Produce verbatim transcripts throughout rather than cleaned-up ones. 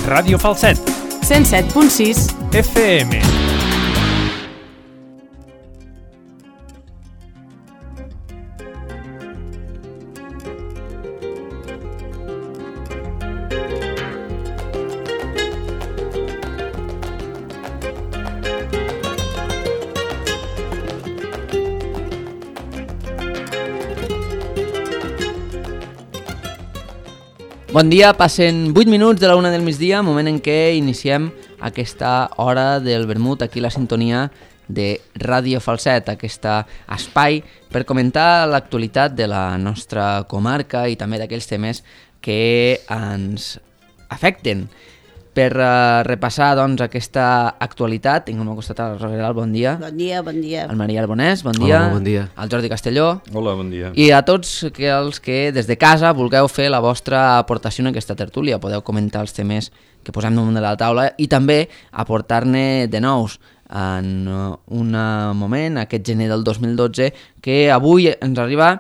Ràdio Falset. cent set punt sis F M. Bon dia, passen vuit minuts de la una del migdia, moment en què iniciem aquesta hora del vermut, aquí la sintonia de Ràdio Falset, aquest espai per comentar l'actualitat de la nostra comarca i també d'aquells temes que ens afecten. Per uh, repassar doncs, aquesta actualitat, tinc al meu costat el Roger Geral, bon dia. Bon dia, bon dia. El Maria Arbonès, bon dia. Hola, bon dia. El Jordi Castelló. Hola, bon dia. I a tots que els que des de casa vulgueu fer la vostra aportació en aquesta tertúlia. Podeu comentar els temes que posem damunt de la taula i també aportar-ne de nous en un moment, aquest gener del dos mil dotze, que avui ens arriba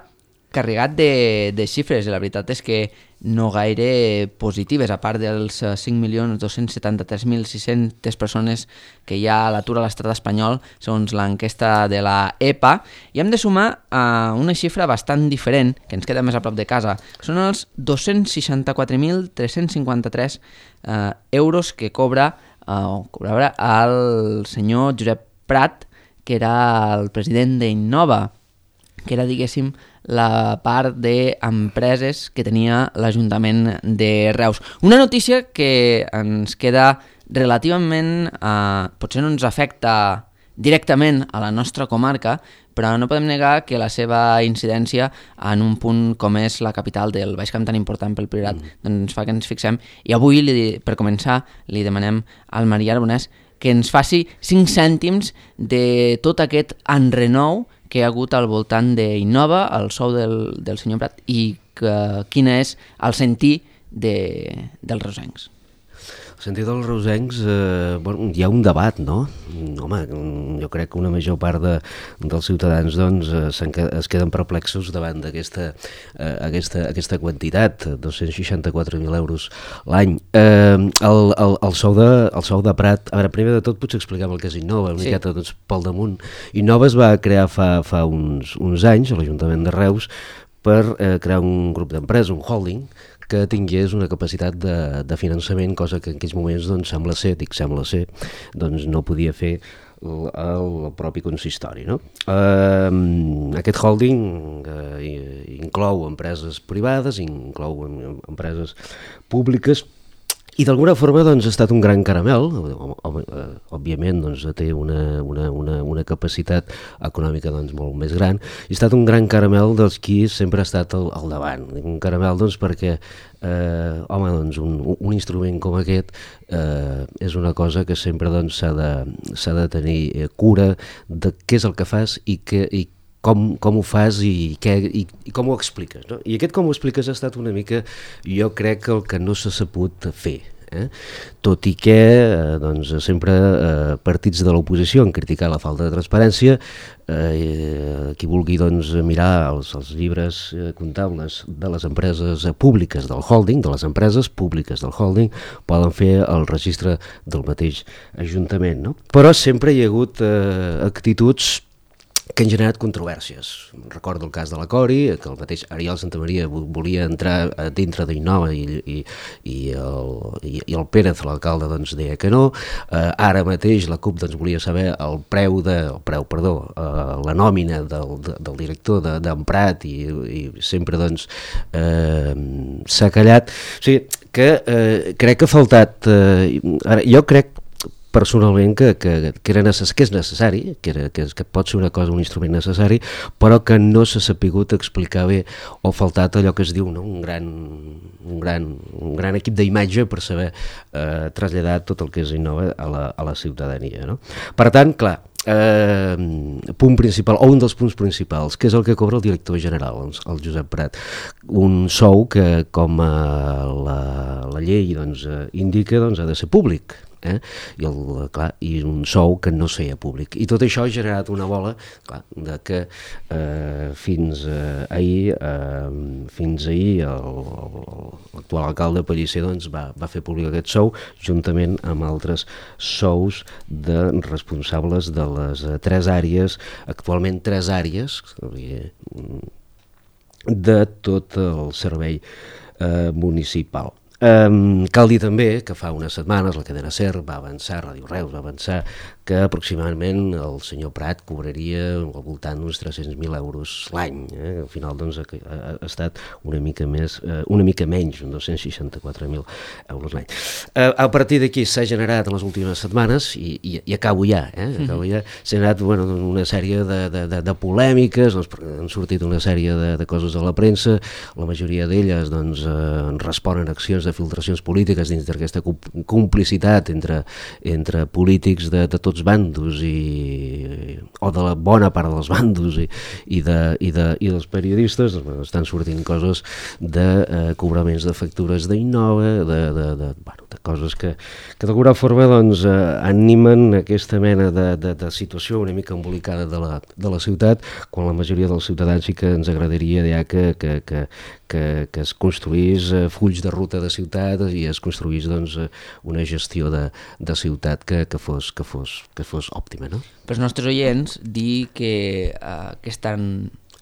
carregat de, de xifres, i la veritat és que no gaire positives, a part dels cinc milions dos-cents setanta-tres mil sis-centes persones que hi ha a l'atur a l'estat espanyol, segons l'enquesta de la E P A, i hem de sumar a una xifra bastant diferent, que ens queda més a prop de casa. Són els dos-cents seixanta-quatre mil tres-cents cinquanta-tres eh, euros que cobra, eh, o cobrava el senyor Josep Prat, que era el president d'Innova, que era, diguéssim, la part d'empreses que tenia l'Ajuntament de Reus. Una notícia que ens queda relativament... Eh, potser no ens afecta directament a la nostra comarca, però no podem negar que la seva incidència en un punt com és la capital del Baix Camp, tan important pel Priorat, mm. doncs fa que ens fixem. I avui, li, per començar, li demanem al Maria Arbonès que ens faci cinc cèntims de tot aquest enrenou que hi ha hagut al voltant d'Innova, el sou del, del senyor Prat, i que, quin és el sentir de, dels reusencs. El sentit dels reusencs, eh, bueno, hi ha un debat, no? Home, jo crec que una major part de, dels ciutadans doncs, es queden perplexos davant d'aquesta eh, aquesta, aquesta quantitat, dos-cents seixanta-quatre mil euros l'any. Eh, el, el, el, sou de, el sou de Prat, a veure, primer de tot potser expliquem el que és Innova, una sí. miqueta doncs, pel damunt. Innova es va crear fa, fa uns, uns anys a l'Ajuntament de Reus per eh, crear un grup d'empreses, un holding, que tingués una capacitat de, de finançament, cosa que en aquells moments doncs, sembla ser, dic sembla ser, doncs no podia fer el, el propi consistori. No? Eh, aquest holding eh, inclou empreses privades, inclou empreses públiques, i d'alguna forma doncs, ha estat un gran caramel, òbviament doncs, té una, una, una, una capacitat econòmica doncs, molt més gran, i ha estat un gran caramel dels qui sempre ha estat al, al davant. Un caramel doncs, perquè eh, home, doncs, un, un instrument com aquest eh, és una cosa que sempre doncs, s'ha de, s'ha de tenir cura de què és el que fas i que i Com, com ho fas i, què, i, i com ho expliques. No? I aquest com ho expliques ha estat una mica, jo crec, el que no s'ha sabut fer. Eh? Tot i que eh, doncs, sempre eh, partits de l'oposició han criticat la falta de transparència, eh, qui vulgui doncs, mirar els, els llibres eh, comptables de les empreses públiques del holding, de les empreses públiques del holding, poden fer el registre del mateix Ajuntament. No? Però sempre hi ha hagut eh, actituds que han generat controvèrsies. Recordo el cas de la Cori, que el mateix Ariel Santamaria volia entrar dintre d'Innova i, i, i, el, i, i el Pérez, l'alcalde, doncs, deia que no. Eh, ara mateix la CUP doncs, volia saber el preu, de, el preu perdó, eh, la nòmina del, de, del director de, d'en Prat i, i sempre doncs, eh, s'ha callat. O sigui, que eh, crec que ha faltat... Eh, ara, jo crec personalment que, que, que, era necess, que és necessari, que, era, que, que pot ser una cosa, un instrument necessari, però que no s'ha sapigut explicar bé o faltat allò que es diu, no? un, gran, un, gran, un gran equip d'imatge per saber eh, traslladar tot el que és Innova a la, a la ciutadania. No? Per tant, clar, eh, punt principal, o un dels punts principals, que és el que cobra el director general, el Josep Prat, un sou que, com eh, la, la llei doncs, indica, doncs, ha de ser públic. eh? I, el, clar, i un sou que no es feia públic. I tot això ha generat una bola, clar, de que eh, fins eh, ahir, eh, fins ahir l'actual alcalde Pellicer doncs, va, va fer públic aquest sou, juntament amb altres sous de responsables de les eh, tres àrees, actualment tres àrees, de tot el servei eh, municipal. Um, cal dir també que fa unes setmanes la cadena SER va avançar, Ràdio Reus va avançar que aproximadament el senyor Prat cobraria al voltant d'uns tres-cents mil euros l'any. Eh? Al final doncs, ha, ha estat una mica més, eh, una mica menys, uns dos-cents seixanta-quatre mil euros l'any. Eh, a partir d'aquí s'ha generat en les últimes setmanes, i, i, i acabo ja, eh? acabo ja s'ha generat bueno, una sèrie de, de, de, de polèmiques, doncs, han sortit una sèrie de, de coses a la premsa, la majoria d'elles doncs, eh, responen a accions de filtracions polítiques dins d'aquesta complicitat entre, entre polítics de, de tots bandos i, o de la bona part dels bandos i, i, de, i, de, i dels periodistes. Doncs, estan sortint coses de eh, cobraments de factures d'Innova, de, de, de, bueno, de coses que, que d'alguna forma doncs, eh, animen aquesta mena de, de, de situació una mica embolicada de la, de la ciutat, quan la majoria dels ciutadans sí que ens agradaria ja que, que, que, que, que es construís eh, fulls de ruta de ciutat i es construís doncs, una gestió de, de ciutat que, que, fos, que, fos, que fos òptima. No? Per als nostres oients, dir que uh, aquesta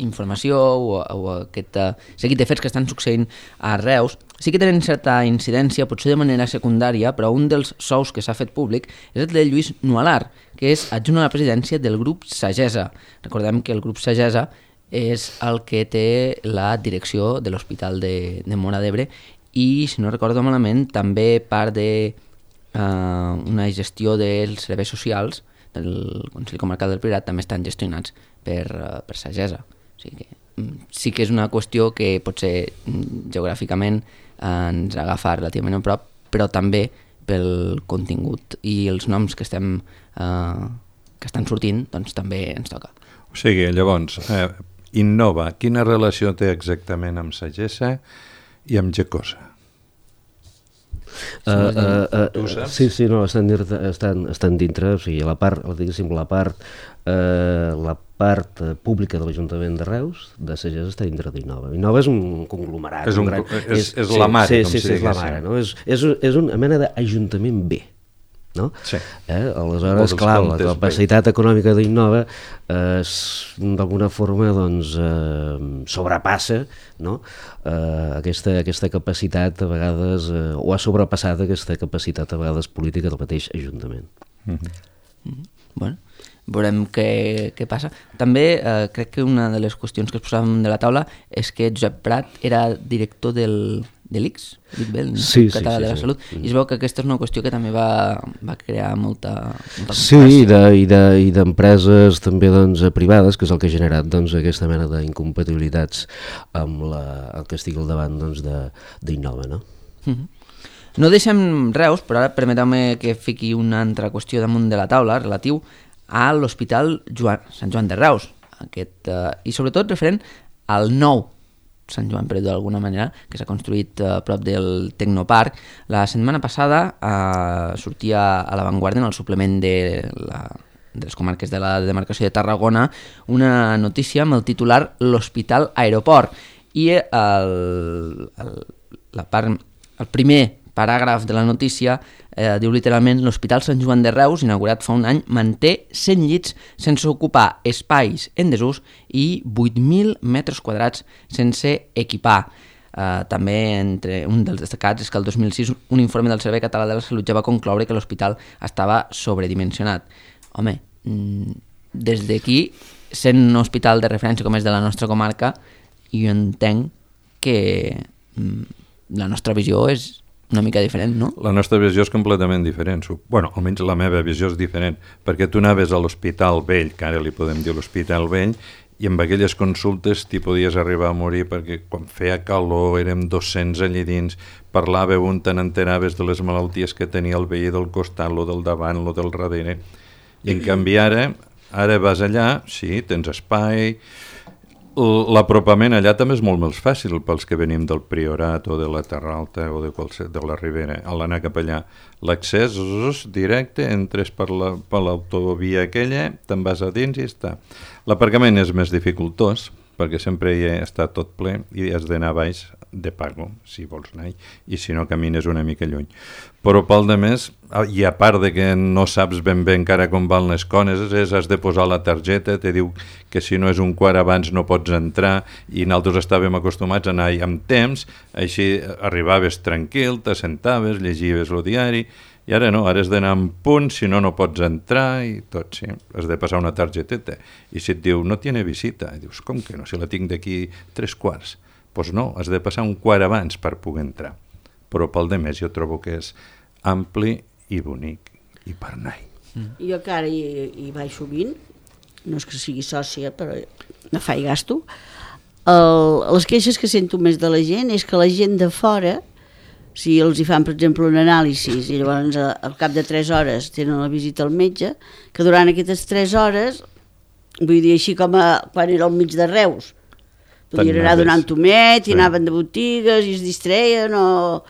informació o, o aquest uh, seguit de fets que estan succeint a Reus sí que tenen certa incidència, potser de manera secundària, però un dels sous que s'ha fet públic és el de Lluís Nualar, que és adjunt a la presidència del grup Sagesa. Recordem que el grup Sagesa és el que té la direcció de l'Hospital de, de Móra d'Ebre i, si no recordo malament, també part de uh, una gestió dels serveis socials del Consell Comarcal del Priorat també estan gestionats per, uh, per Sagesa. O sigui que, sí que és una qüestió que potser geogràficament ens agafa relativament a prop, però també pel contingut i els noms que estem uh, que estan sortint, doncs també ens toca. O sigui, llavors, eh, Innova, quina relació té exactament amb Sagesa i amb Gecosa? Uh, uh, uh, sí, sí, no, estan, estan, estan dintre, o sigui, la part, diguéssim, la part, uh, la part pública de l'Ajuntament de Reus, de Sagesa, està dintre d'Innova. Innova és un conglomerat. És, un, un gran, és, és, és la mare, sí, com sí, si sí, és la mare, no? És, és, és una mena d'Ajuntament B. No? Sí. Eh? Aleshores, clar, la capacitat bé. econòmica d'Innova eh, d'alguna forma doncs, eh, sobrepassa, no? eh, aquesta, aquesta capacitat a vegades, eh, o ha sobrepassat aquesta capacitat a vegades política del mateix Ajuntament. Mm-hmm. Mm-hmm. Bueno, veurem què, què passa. També eh, crec que una de les qüestions que es posàvem de la taula és que Josep Prat era director del de l'I C S, l'Institut sí, Català sí, de la sí, Salut, sí. i es veu que aquesta és una qüestió que també va, va crear molta, molta sí, i d'empreses de, de, també doncs, privades, que és el que ha generat doncs, aquesta mena d'incompatibilitats amb la, el que estigui al davant doncs, d'Innova. No? Mm-hmm. No deixem Reus, però ara permeteu-me que fiqui una altra qüestió damunt de la taula relatiu a l'Hospital Joan, Sant Joan de Reus, aquest, uh, i sobretot referent al nou Sant Joan, per d'alguna manera, que s'ha construït a prop del Tecnoparc. La setmana passada eh, sortia a l'avantguarda en el suplement de, la, de les comarques de la demarcació de Tarragona una notícia amb el titular L'Hospital Aeroport, i el, el, la part, el primer paràgraf de la notícia eh, diu literalment: l'Hospital Sant Joan de Reus, inaugurat fa un any, manté cent llits sense ocupar, espais en desús i vuit mil metres quadrats sense equipar. Eh, també entre un dels destacats és que el dos mil sis un informe del Servei Català de la Salut ja va concloure que l'hospital estava sobredimensionat. Home, des d'aquí, sent un hospital de referència com és de la nostra comarca, jo entenc que la nostra visió és una mica diferent, no? La nostra visió és completament diferent. Bueno, almenys la meva visió és diferent, perquè tu anaves a l'Hospital Vell, que ara li podem dir l'Hospital Vell, i amb aquelles consultes t'hi podies arribar a morir, perquè quan feia calor érem dos-cents allà dins, parlava un, te n'enteraves de les malalties que tenia el veí del costat, lo del davant, lo del darrere. I en canvi ara, ara vas allà, sí, tens espai, L'apropament allà també és molt més fàcil pels que venim del Priorat o de la Terra Alta o de, qualsevol, de la Ribera. A l'anar cap allà, l'accés és directe, entres per la, per l'autovia aquella, te'n vas a dins i està. L'aparcament és més dificultós, perquè sempre hi està tot ple i has d'anar a baix de pago, si vols anar, i si no camines una mica lluny. Però pel de més, i a part de que no saps ben bé encara com van les coses, és, has de posar la targeta, te diu que si no és un quart abans no pots entrar, i nosaltres estàvem acostumats a anar amb temps, així arribaves tranquil, t'assentaves, llegives el diari, i ara no, ara has d'anar en punt, si no, no pots entrar i tot, sí. Has de passar una targeteta. I si et diu, no tiene visita, i dius, com que no, si la tinc d'aquí tres quarts? Doncs pues no, has de passar un quart abans per poder entrar. Però pel de més jo trobo que és ampli i bonic, i per anar-hi. Mm. Jo que ara hi, hi vaig sovint, no és que sigui sòcia, però no faig gasto, el, les queixes que sento més de la gent és que la gent de fora, si els hi fan, per exemple, un anàlisi i llavors al cap de tres hores tenen la visita al metge, que durant aquestes tres hores, vull dir així com a, quan era al mig de Reus, podien anar donant tomet i sí. Anaven de botigues i es distreien o...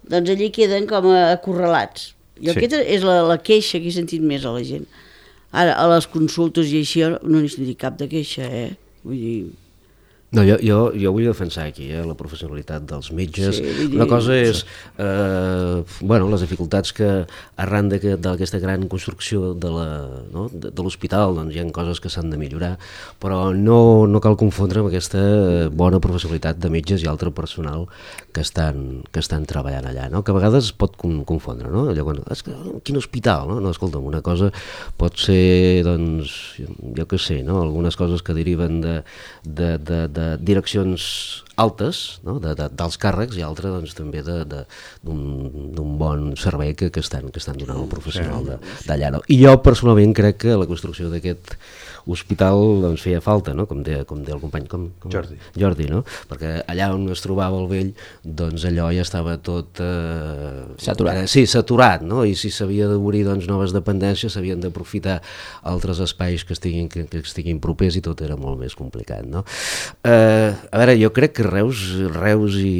doncs allí queden com acorralats. I sí. Aquesta és la, la queixa que he sentit més a la gent. Ara, a les consultes i així no n'hi sentit cap de queixa, eh? Vull dir... No, jo, jo, jo vull defensar aquí eh, la professionalitat dels metges. Sí, una cosa és eh, bueno, les dificultats que arran d'aquesta gran construcció de no, l'hospital doncs, hi ha coses que s'han de millorar, però no, no cal confondre amb aquesta bona professionalitat de metges i altre personal que estan, que estan treballant allà, no? Que a vegades es pot confondre, no? Allò, quan, és que, quin hospital, no? No, escolta'm, una cosa pot ser, doncs, jo què sé, no? Algunes coses que deriven de, de, de, de de direccions altes, no? de, de, dels càrrecs, i altres doncs, també d'un bon servei que, que, estan, que estan donant el professional d'allà. No? I jo personalment crec que la construcció d'aquest hospital doncs, feia falta, no? com deia com de el company com, com Jordi. Jordi, no? Perquè allà on es trobava el vell, doncs allò ja estava tot... Eh, saturat. Eh, sí, saturat, no? I si s'havia d'obrir doncs, noves dependències, s'havien d'aprofitar altres espais que estiguin, que, que estiguin propers i tot era molt més complicat, no? Eh, a veure, jo crec que Reus, Reus i,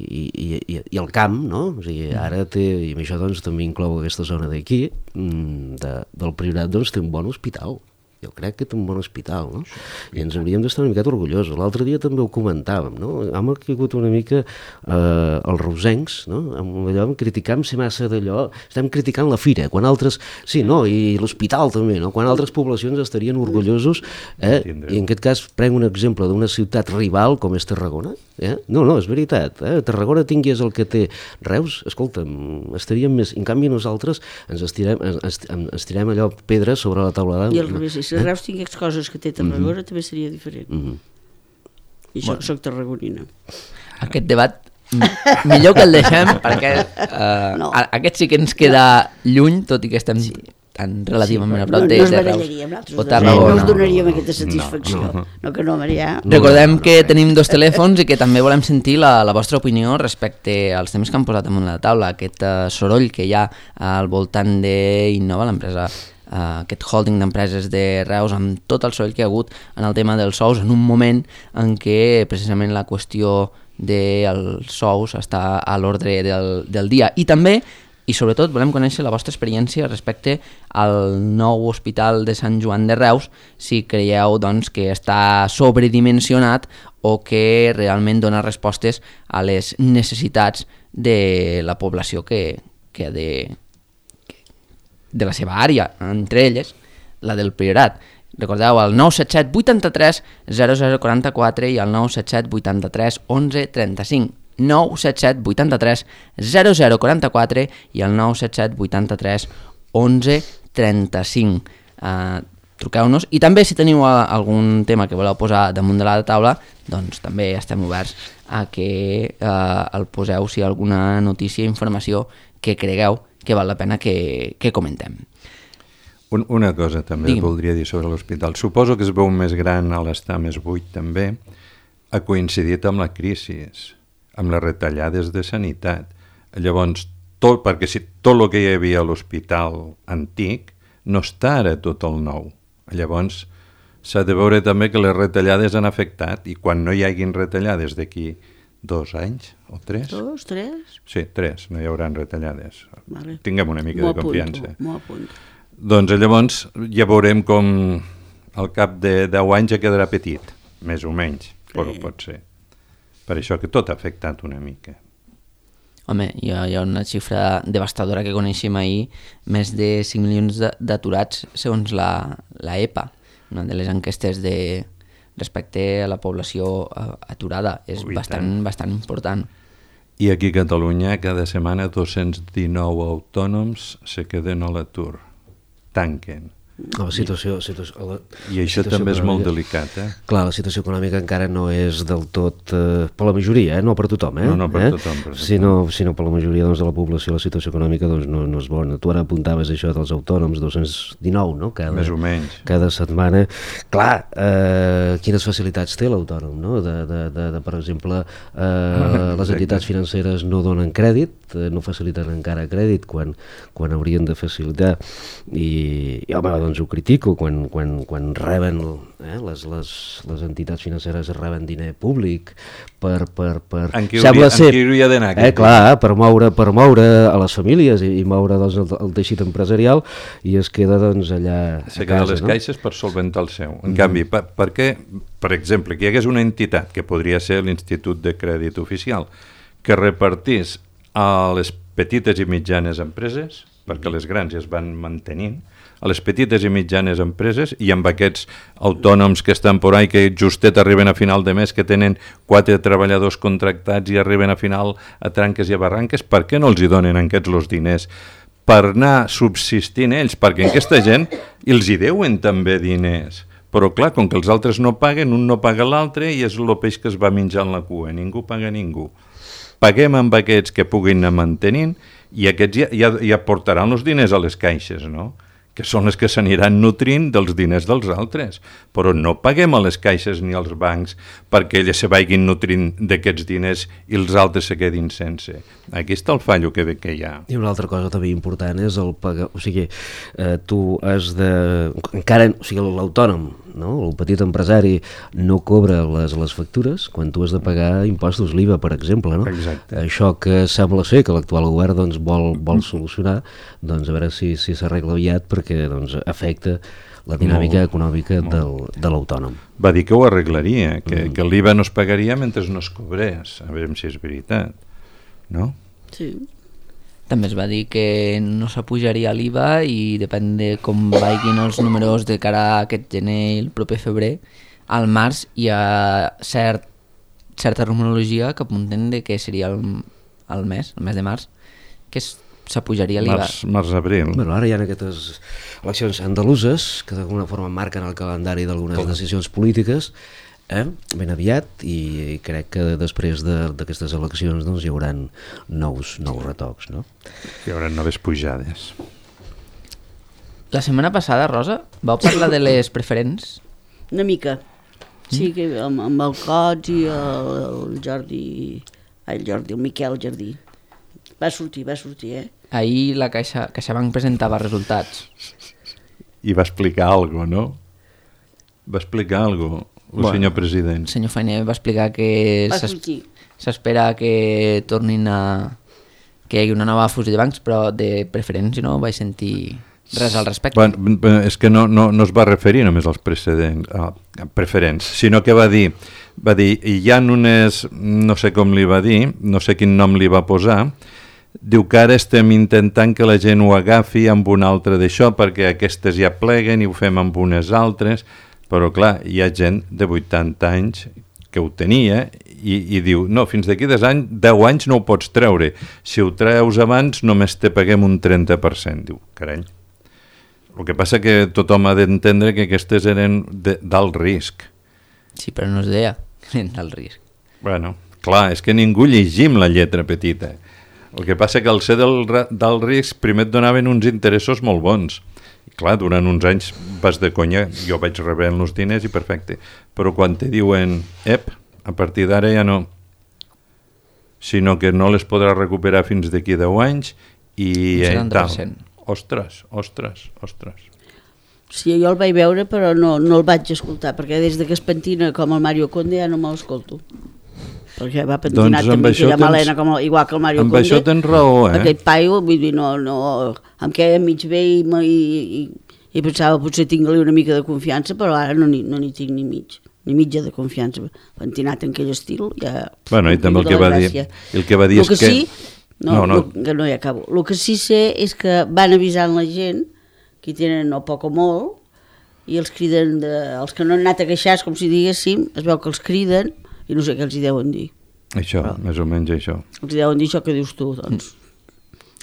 i, i, i el camp, no? O sigui, ara té, i amb això doncs, també inclou aquesta zona d'aquí, de, del Priorat, doncs té un bon hospital. Jo crec que té un bon hospital, no? I ens hauríem d'estar una miqueta orgullosos. L'altre dia també ho comentàvem, no? Hem caigut una mica eh, els reusencs, no? Amb allò, criticam ser massa d'allò, estem criticant la fira, quan altres, sí, no? I l'hospital també, no? Quan altres poblacions estarien orgullosos, eh? I en aquest cas prenc un exemple d'una ciutat rival com és Tarragona, eh? No, no, és veritat, eh? Tarragona tingués el que té Reus, escolta'm, estaríem més, en canvi nosaltres ens estirem, ens, ens tirem allò pedres sobre la taulada. I al revés, si Reus tingués coses que té Tarragona, mm-hmm. també seria diferent. Mm-hmm. I jo bueno. Soc tarragonina. Aquest debat millor que el deixem, perquè uh, no. aquest sí que ens queda lluny, tot i que estem sí. tan relativament sí, a prop de, no, no de Reus. O Tarragona. No us donaríem aquesta satisfacció. No, no. no que no, Marià. Recordem que tenim dos telèfons i que també volem sentir la, la vostra opinió respecte als temes que han posat damunt la taula, aquest uh, soroll que hi ha al voltant d'Innova, l'empresa Uh, aquest holding d'empreses de Reus, amb tot el soroll que hi ha hagut en el tema dels sous, en un moment en què precisament la qüestió dels sous està a l'ordre del, del dia. I també, i sobretot, volem conèixer la vostra experiència respecte al nou hospital de Sant Joan de Reus, si creieu doncs, que està sobredimensionat o que realment dona respostes a les necessitats de la població que, que ha de... de la seva àrea, entre elles la del Priorat. Recordeu el nou set set vuitanta-tres zero zero quaranta-quatre i el nou set set vuitanta-tres onze trenta-cinc. nou set set vuitanta-tres zero zero quaranta-quatre i el nou set set vuitanta-tres onze trenta-cinc. Uh, truqueu-nos i també si teniu uh, algun tema que voleu posar damunt de la taula, doncs també estem oberts a que uh, el poseu si hi ha alguna notícia o informació que cregueu que val la pena que, que comentem. Un, una cosa també Digue'm. voldria dir sobre l'hospital. Suposo que es veu més gran a l'estar més buit també, ha coincidit amb la crisi, amb les retallades de sanitat. Llavors, tot, perquè si tot el que hi havia a l'hospital antic no està ara tot el nou. Llavors, s'ha de veure també que les retallades han afectat, i quan no hi haguin retallades d'aquí dos anys o tres... Dos, tres? Sí, tres, no hi haurà retallades. Vale. Tinguem una mica de confiança. M'ho apunto. Doncs llavors ja veurem com al cap de deu anys ja quedarà petit, més o menys, però Sí. pot ser. Per això que tot ha afectat una mica. Home, hi ha, hi ha una xifra devastadora que coneixem ahir, més de cinc milions de- d'aturats segons la, la E P A, una de les enquestes de, respecte a la població eh, aturada. És Ui, bastant, tant. bastant important. I aquí a Catalunya cada setmana dos-cents dinou autònoms se queden a l'atur, tanquen. La situació, situació, la, I això situació també és molt econòmica- delicat, eh? Clar, la situació econòmica encara no és del tot eh, per la majoria, eh? No per tothom, eh? No, no per eh? tothom, per tothom. Sinó, sinó per la majoria doncs, de la població la situació econòmica doncs, no, no és bona. Tu ara apuntaves això dels autònoms, dos-cents dinou, no? Cada, Més o menys. cada setmana. Clar, eh, quines facilitats té l'autònom, no? De, de, de, de, per exemple, eh, les entitats financeres no donen crèdit, eh, no faciliten encara crèdit quan, quan haurien de facilitar. I, i home, doncs ho critico, quan, quan, quan reben, eh, les, les, les entitats financeres reben diner públic per... per, per... En qui Sembla hauria- en ser- qui hauria d'anar, Eh, aquest clar, per moure, per moure a les famílies i, i moure doncs, el, el teixit empresarial, i es queda doncs, allà Se a queda a casa, les no? caixes per solventar el seu. En canvi, per, per què, per exemple, que hi hagués una entitat, que podria ser l'Institut de Crèdit Oficial, que repartís a les petites i mitjanes empreses, perquè les grans ja es van mantenint, a les petites i mitjanes empreses, i amb aquests autònoms que estan por ahí, que justet arriben a final de mes, que tenen quatre treballadors contractats i arriben a final a tranques i a barranques, per què no els hi donen aquests els diners? Per anar subsistint ells, perquè aquesta gent els hi deuen també diners. Però clar, com que els altres no paguen, un no paga l'altre i és el peix que es va menjar en la cua, ningú paga ningú. Paguem amb aquests que puguin anar mantenint i aquests ja, ja, ja portaran els diners a les caixes, no? Que són les que s'aniran nutrint dels diners dels altres. Però no paguem a les caixes ni als bancs perquè elles se vagin nutrint d'aquests diners i els altres se quedin sense. Aquí està el fallo que, que hi ha. I una altra cosa també important és el pagar, o sigui, eh, tu has de, encara, o sigui, l'autònom, no? El petit empresari no cobra les, les factures quan tu has de pagar impostos, l'I V A, per exemple, no? Exacte. Això que sembla ser que l'actual govern doncs, vol, vol solucionar, doncs a veure si si s'arregla aviat, perquè doncs, afecta la dinàmica Molt, econòmica del, de l'autònom. Va dir que ho arreglaria, que, mm. que l'I V A no es pagaria mentre no es cobrés. A veure si és veritat, no? Sí. També es va dir que no s'apujaria l'I V A i depèn de com vagin els números de cara a aquest gener i el proper febrer. Al març hi ha cert, certa rumorologia que apunten de que seria el, el mes, el mes de març, que es- s'apujaria l'I V A. Març, març-abril. Bueno, ara hi ha aquestes eleccions andaluses que d'alguna forma marquen el calendari d'algunes decisions polítiques, eh? ben aviat, i, i crec que després de- d'aquestes eleccions doncs, hi haurà nous, nous retocs, no? Hi haurà noves pujades. La setmana passada, Rosa, vau parlar de les preferents? Una mica. Sí, que amb, amb el Cots i el, el Jordi... Ai, el Jordi, el Miquel Jardí. Va sortir, va sortir, eh? Ahir la Caixa, CaixaBank presentava resultats. I va explicar alguna cosa, no? Va explicar alguna cosa, el Bueno, senyor president. El senyor Feiner va explicar que Va s'es- sortir. s'espera que tornin a... que hi hagi una nova fusió de bancs, però de preferents no vaig sentir res al respecte. Bueno, bé, és que no, no, no es va referir només als precedents, a, a preferents, sinó que va dir, va dir, hi ha unes, no sé com li va dir, no sé quin nom li va posar, diu que ara estem intentant que la gent ho agafi amb un altre d'això, perquè aquestes ja pleguen i ho fem amb unes altres, però clar, hi ha gent de vuitanta anys que ho tenia i, i diu, no, fins d'aquí deu anys, deu anys no ho pots treure, si ho treus abans només te paguem un trenta per cent. Diu, carai. El que passa que tothom ha d'entendre que aquestes eren de, d'alt risc. Sí, però no es deia del risc. Bueno, clar, és que ningú llegim la lletra petita. El que passa que al ser del, ra- d'alt risc primer et donaven uns interessos molt bons. I clar, durant uns anys vas de conya, jo vaig rebent els diners i perfecte. Però quan te diuen, ep, a partir d'ara ja no, sinó que no les podràs recuperar fins d'aquí deu anys i Un eh, setanta per tal. cent. Ostres, ostres, ostres. Sí, jo el vaig veure però no, no el vaig escoltar, perquè des de que es pentina com el Mario Conde ja no me l'escolto. Perquè va pentinat doncs també aquella tens, malena com, igual que el Mario amb Conde. Amb això tens raó, eh? Aquest paio, vull dir, no, no, em queia mig bé i, i, i, i pensava potser tinc-li una mica de confiança, però ara no n'hi no tinc ni mig, ni mitja de confiança. Pentinat en aquell estil, ja... Bueno, i també el que, va dir, el que va dir el és que... que... Sí, no, no, no. Lo, que no hi acabo. El que sí sé és que van avisant la gent, que hi tenen no poc o molt, i els criden, de, els que no han anat a queixar, com si diguéssim, es veu que els criden i no sé què els hi deuen dir. Això, però, més o menys això. Els hi deuen dir això que dius tu, doncs.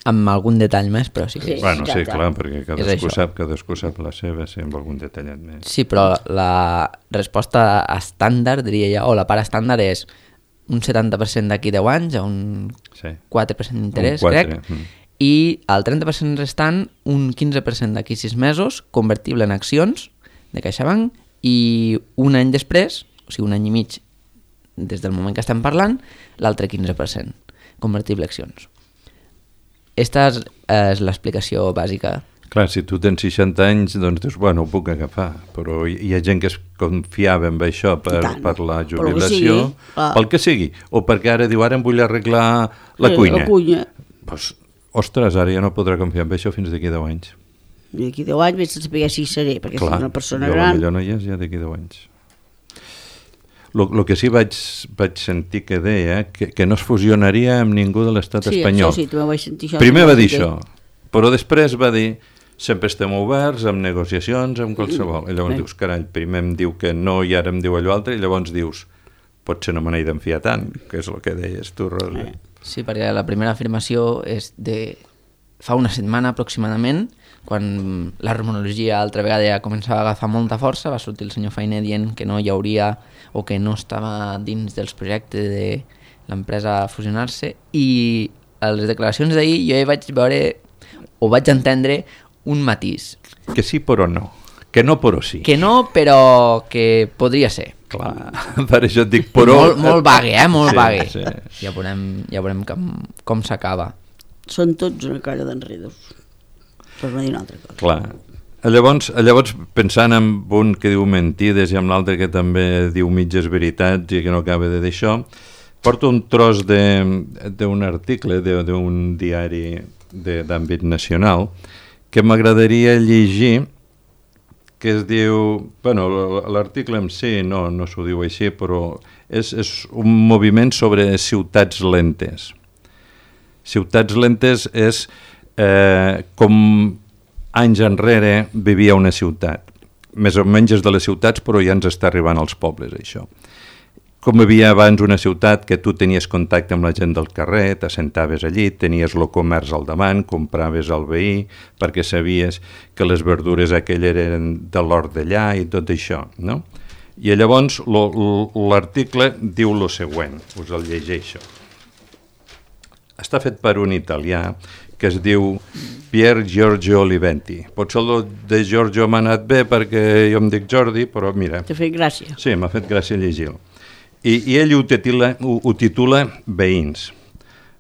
Amb algun detall més, però sí que... Sí. Bueno, sí, ja, clar, perquè cadascú sap, cadascú sap la seva, sí, amb algun detallet més. Sí, però la resposta estàndard, diria jo, o la part estàndard és un setanta per cent d'aquí deu anys, a un sí. quatre per cent d'interès, crec, mm. i el trenta per cent restant, un quinze per cent d'aquí sis mesos, convertible en accions de CaixaBank, i un any després, o sigui, un any i mig des del moment que estem parlant, l'altre quinze per cent, convertible en accions. Esta és, és l'explicació bàsica. Clar, si tu tens seixanta anys, doncs dius, bueno, ho puc agafar, però hi, hi ha gent que es confiava en això per, per la jubilació, ah. pel que sigui, o perquè ara diu, ara em vull arreglar la sí, cuina. La cuina. Pues, ostres, ara ja no podrà confiar en això fins d'aquí deu anys. I d'aquí deu anys vés a saber si hi seré, perquè clar, soc una persona jo gran. Clar, no hi és ja d'aquí deu anys. El que sí vaig, vaig sentir que deia que, que no es fusionaria amb ningú de l'estat sí, espanyol. Sí, també vaig sentir això. Primer va dir això, però després va dir sempre estem oberts amb negociacions, amb qualsevol. I llavors sí. dius, carai, primer em diu que no i ara em diu allò altre, i llavors dius, potser no me n'he d'enfiar tant, que és el que deies tu, Rosa. Sí, perquè la primera afirmació és de fa una setmana aproximadament, quan la rumorologia altra vegada ja començava a agafar molta força, va sortir el senyor Fainé dient que no hi hauria o que no estava dins dels projectes de l'empresa a fusionar-se, i a les declaracions d'ahir jo ja vaig veure o vaig entendre un matís. Que sí però no, que no però sí. Que no però que podria ser. Clar, per això et dic però... Molt, molt vague, eh? Molt sí, vague. Sí. Ja veurem, ja veurem com, com s'acaba. Són tots una colla d'enredos, per no dir una altra cosa. Clar. Llavors, llavors, pensant en un que diu mentides i amb l'altre que també diu mitges veritats i que no acaba de dir això, porto un tros d'un article d'un diari d'àmbit nacional que m'agradaria llegir, que es diu... Bueno, l'article en si no, no s'ho diu així, però és, és un moviment sobre ciutats lentes. Ciutats lentes és eh, com anys enrere vivia una ciutat. Més o menys és de les ciutats, però ja ens està arribant als pobles, això. Com havia abans una ciutat que tu tenies contacte amb la gent del carrer, t'assentaves allí, tenies el comerç al davant, compraves al veí, perquè sabies que les verdures aquelles eren de l'hort d'allà i tot això, no? I llavors l'article diu el següent, us el llegeixo. Està fet per un italià que es diu Pier Giorgio Oliventi. Potser el de Giorgio m'ha anat bé perquè jo em dic Jordi, però mira... T'ha fet gràcia. Sí, m'ha fet gràcia llegir-lo. I, i ell ho titula, ho, ho titula Veïns.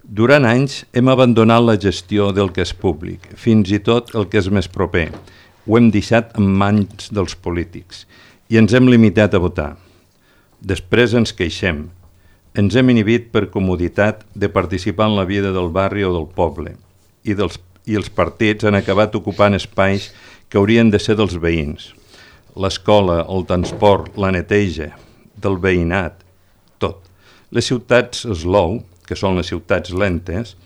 Durant anys hem abandonat la gestió del que és públic, fins i tot el que és més proper. Ho hem deixat en mans dels polítics i ens hem limitat a votar. Després ens queixem. Ens hem inhibit per comoditat de participar en la vida del barri o del poble i, dels, i els partits han acabat ocupant espais que haurien de ser dels veïns. L'escola, el transport, la neteja, del veïnat, tot. Les ciutats slow, que són les ciutats lentes,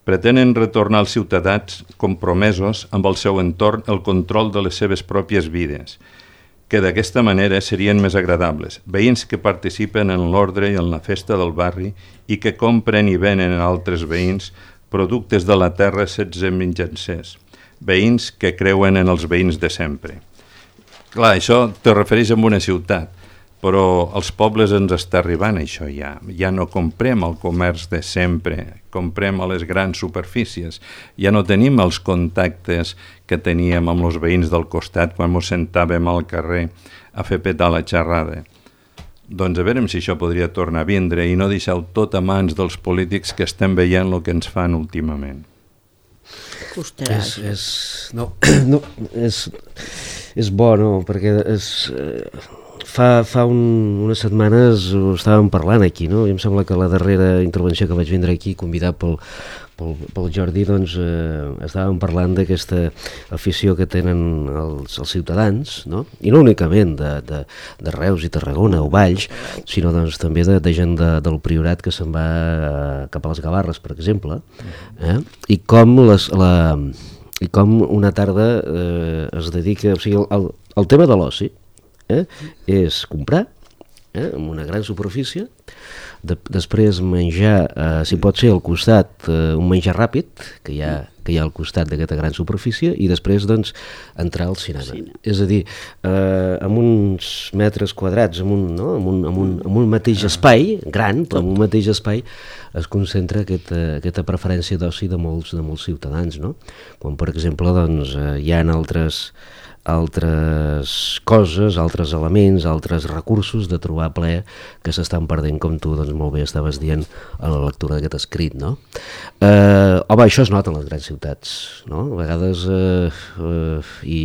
pretenen retornar als ciutadans compromesos amb el seu entorn el control de les seves pròpies vides, que d'aquesta manera serien més agradables. Veïns que participen en l'ordre i en la festa del barri i que compren i venen a altres veïns productes de la terra sense mitjancers. Veïns que creuen en els veïns de sempre. Clar, això te refereix a una ciutat, però als pobles ens està arribant això ja. Ja no comprem el comerç de sempre, comprem a les grans superfícies. Ja no tenim els contactes que teníem amb els veïns del costat quan ens sentàvem al carrer a fer petar la xerrada. Doncs a veure si això podria tornar a vindre i no deixar-ho tot a mans dels polítics que estem veient el que ens fan últimament. Costarà. És, és, no, no, és, és bo, no? Perquè és, eh, fa, fa un, unes setmanes ho estàvem parlant aquí, no? I em sembla que la darrera intervenció que vaig vindre aquí, convidat pel, pel, pel Jordi, doncs eh, estàvem parlant d'aquesta afició que tenen els, els ciutadans, no? I no únicament de, de, de Reus i Tarragona o Valls, sinó doncs, també de, de gent de, del Priorat que se'n va cap a les Gavarres, per exemple, eh? I com les... la i com una tarda eh, es dedica, o sigui, el, el tema de l'oci eh, és comprar eh, en una gran superfície, de, després menjar, eh, si pot ser al costat, eh, un menjar ràpid, que hi ha, que hi ha al costat d'aquesta gran superfície, i després doncs entrar al cinema. Sí, no. És a dir, eh, amb uns metres quadrats, amb un, no? amb un, amb un, amb un mateix espai, gran, però amb un mateix espai, es concentra aquesta, aquesta preferència d'oci de molts, de molts ciutadans, no? Quan, per exemple, doncs, eh, hi ha altres, altres coses, altres elements, altres recursos de trobar plaer que s'estan perdent, com tu doncs, molt bé estaves dient a la lectura d'aquest escrit, no? Eh, home, això es nota en les grans ciutats, no? A vegades, eh, eh, i,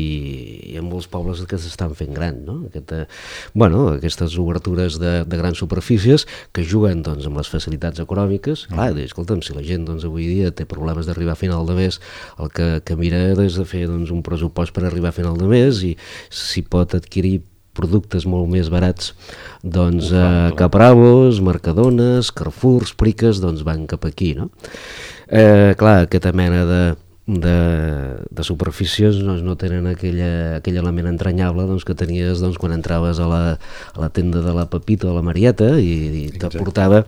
i en molts pobles que s'estan fent gran, no? Aquesta, bueno, aquestes obertures de, de grans superfícies que juguen doncs, amb les facilitats econòmiques. Clar, escolta'm, si la gent doncs, avui dia té problemes d'arribar a final de mes, el que, que mira és de fer doncs, un pressupost per arribar a final de mes, i si pot adquirir productes molt més barats doncs eh, Capravos, Mercadones, Carrefours, Priques, doncs van cap aquí, no? Eh, clar, aquesta mena de, de, de superfícies doncs, no tenen aquella, aquell element entranyable doncs, que tenies doncs, quan entraves a la, a la tenda de la Pepita o la Marieta i, i t'aportava,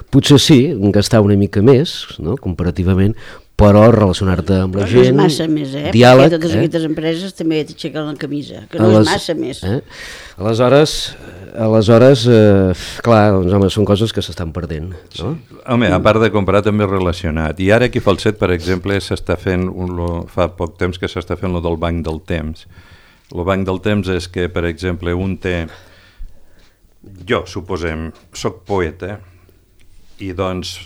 potser sí, gastar una mica més, no? Comparativament, però relacionar-te amb la però gent, no és massa més, eh? diàleg... Perquè totes eh? aquestes empreses també t'aixequen la camisa, que no les, és massa més. Eh? Aleshores, aleshores eh, clar, doncs, home, són coses que s'estan perdent, no? Sí. Home, a part de comprar també és relacionat. I ara aquí a Falset, per exemple, s'està fent, un, lo, fa poc temps que s'està fent lo del banc del temps. El banc del temps és que, per exemple, un té... Jo, suposem, soc poeta, i doncs...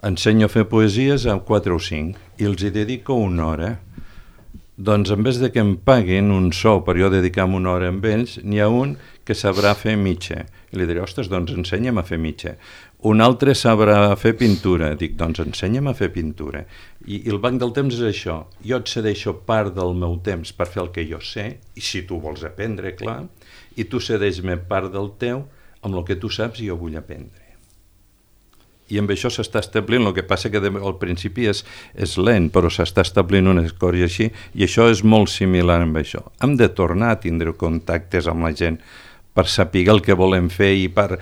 ensenyo a fer poesies a quatre o cinc i els hi dedico una hora. Doncs en vez de que em paguin un sou per jo dedicar-me una hora amb ells, n'hi ha un que sabrà fer mitja. I li diré, ostres, doncs ensenya'm a fer mitja. Un altre sabrà fer pintura. Dic, doncs ensenya'm a fer pintura. I, i el banc del temps és això. Jo et cedeixo part del meu temps per fer el que jo sé, i si tu vols aprendre, clar, i tu cedeix-me part del teu amb el que tu saps i jo vull aprendre. I amb això s'està establint, el que passa que al principi és, és lent, però s'està establint unes coses així, i això és molt similar amb això. Hem de tornar a tindre contactes amb la gent per saber el que volem fer i per,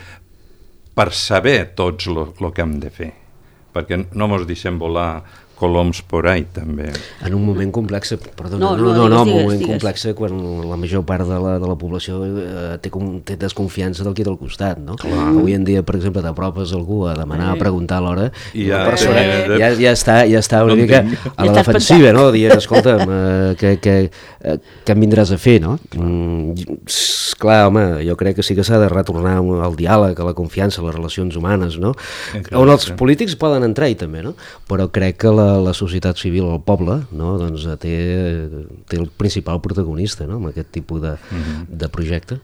per saber tots el que hem de fer, perquè no mos deixem volar coloms por ahí, també. En un moment complex, perdona, no, no, no, no, no, digues, en un moment digues. complex quan la major part de la, de la població eh, té, com, té desconfiança del qui del costat, no? Clar. Avui en dia, per exemple, t'apropes algú a demanar, a preguntar a l'hora, i ja, la persona ja, ja, ja, està, ja està una no mica a la defensiva, no? Dient, escolta'm, eh, que, que, eh, que em vindràs a fer, no? Mm, clar, home, jo crec que sí que s'ha de retornar al diàleg, a la confiança, a les relacions humanes, no? Eh, clar, on els clar. polítics poden entrar-hi també, no? Però crec que la la societat civil, el poble, no? Doncs té, té el principal protagonista, no? Amb aquest tipus de, mm-hmm. de projecte.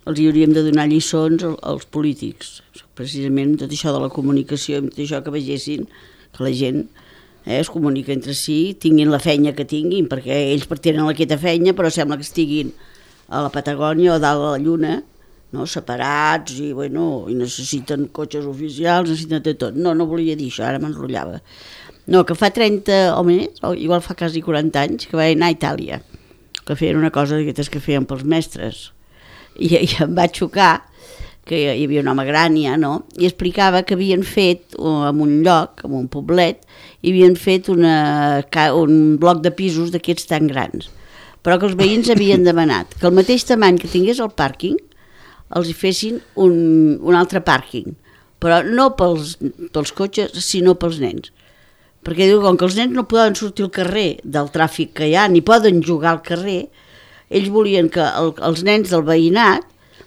Els hi hauríem de donar lliçons als polítics, precisament tot això de la comunicació, tot això que vegessin que la gent eh, es comunica entre si, tinguin la feina que tinguin, perquè ells tenen aquesta feina, però sembla que estiguin a la Patagònia o dalt a la Lluna, no? Separats i, bueno, i necessiten cotxes oficials, necessiten de tot. No, no volia dir això, ara m'enrotllava. No, que fa trenta o més, o igual fa quasi quaranta anys, que va anar a Itàlia, que feien una cosa d'aquestes que feien pels mestres. I, i em va xocar que hi havia un home gran ja, no? I explicava que havien fet, en un lloc, en un poblet, i havien fet una, un bloc de pisos d'aquests tan grans, però que els veïns havien demanat que el mateix tamany que tingués el pàrquing els hi fessin un, un altre pàrquing, però no pels, pels cotxes, sinó pels nens. Perquè diu, com que els nens no poden sortir al carrer del tràfic que hi ha, ni poden jugar al carrer, ells volien que el, els nens del veïnat,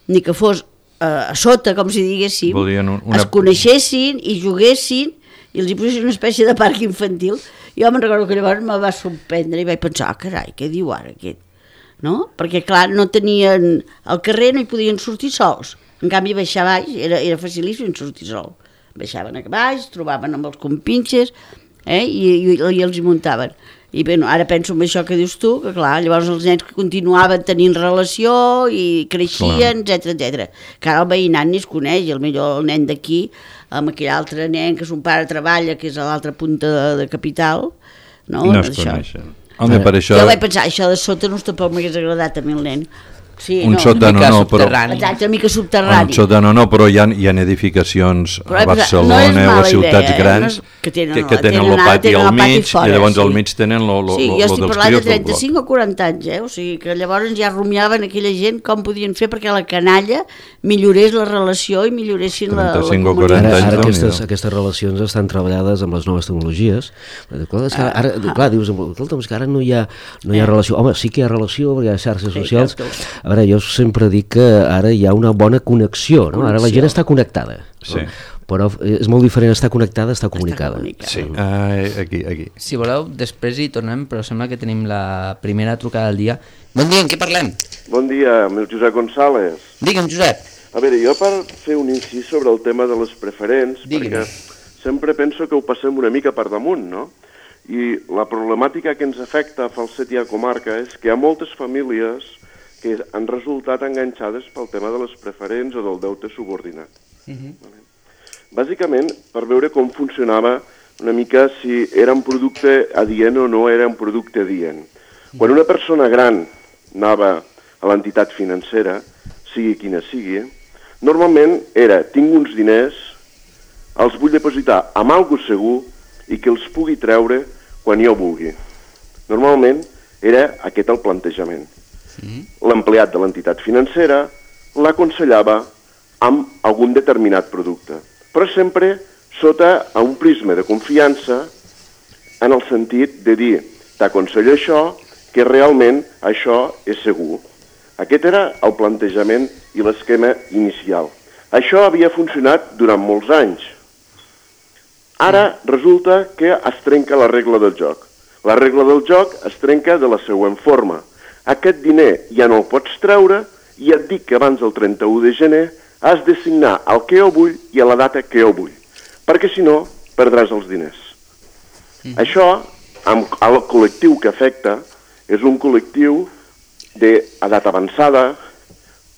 ni que fos eh, a sota, com si diguéssim, un, una... es coneixessin i juguessin i els hi posessin una espècie de parc infantil. Jo me'n recordo que llavors me va sorprendre i vaig pensar, ah, carai, què diu ara aquest? no? Perquè, clar, no tenien... Al carrer no hi podien sortir sols. En canvi, baixar baix era, era facilíssim sortir sol. Baixaven a baix, trobaven amb els compinxes, eh? I, i, i els hi muntaven. I bé, ara penso en això que dius tu, que clar, llavors els nens que continuaven tenint relació i creixien, etcètera, etcètera. Que ara el veïnat ni es coneix, i millor el nen d'aquí, amb aquell altre nen que son pare treballa, que és a l'altra punta de, de capital, no? No es coneixen. Home, per això... Jo vaig pensar, això de sota no tampoc m'hagués agradat a mi el nen. Sí, un no, sòtano no, però... Exacte, una mica subterrani. Un sòtano no, però hi ha, hi ha edificacions però, a Barcelona no o a ciutats idea, grans eh? no és, que tenen, que, que tenen el pati al mig fora, i llavors sí. al mig tenen lo, lo, sí, lo, jo lo estic dels parlant de crios del bloc. trenta-cinc o quaranta anys, eh? O sigui que llavors ja rumiaven aquella gent com podien fer perquè la canalla millorés la relació i milloressin la, la comunitat. Ara, ara aquestes, aquestes relacions estan treballades amb les noves tecnologies. Clar, és que ara, ara, clar dius, escolta'm, és que ara no hi ha, no hi ha relació. Home, sí que hi ha relació perquè hi ha xarxes socials. A veure, jo sempre dic que ara hi ha una bona connexió, no? Ara la gent està connectada, sí. però és molt diferent estar connectada a estar comunicada. Sí, uh, aquí, aquí. Si voleu, després hi tornem, però sembla que tenim la primera trucada del dia. Bon dia, en què parlem? Bon dia, amb el Josep González. Digue'm, Josep. A veure, jo per fer un incís sobre el tema de les preferents, Digue'm. perquè sempre penso que ho passem una mica per damunt, no? I la problemàtica que ens afecta a Falset i a comarca és que hi ha moltes famílies que han resultat enganxades pel tema de les preferents o del deute subordinat. Uh-huh. Vale. Bàsicament, per veure com funcionava una mica si era un producte adient o no era un producte adient. Uh-huh. Quan una persona gran anava a l'entitat financera, sigui quina sigui, normalment era, tinc uns diners, els vull depositar amb algo segur i que els pugui treure quan jo vulgui. Normalment era aquest el plantejament. Sí. L'empleat de l'entitat financera l'aconsellava amb algun determinat producte, però sempre sota un prisma de confiança en el sentit de dir t'aconsello això, que realment això és segur. Aquest era el plantejament i l'esquema inicial. Això havia funcionat durant molts anys. Ara resulta que es trenca la regla del joc. La regla del joc es trenca de la següent forma. Aquest diner ja no el pots treure i et dic que abans del trenta-u de gener has de signar el que jo vull i a la data que jo vull, perquè si no perdràs els diners. Mm. Això, amb el col·lectiu que afecta, és un col·lectiu d'edat avançada,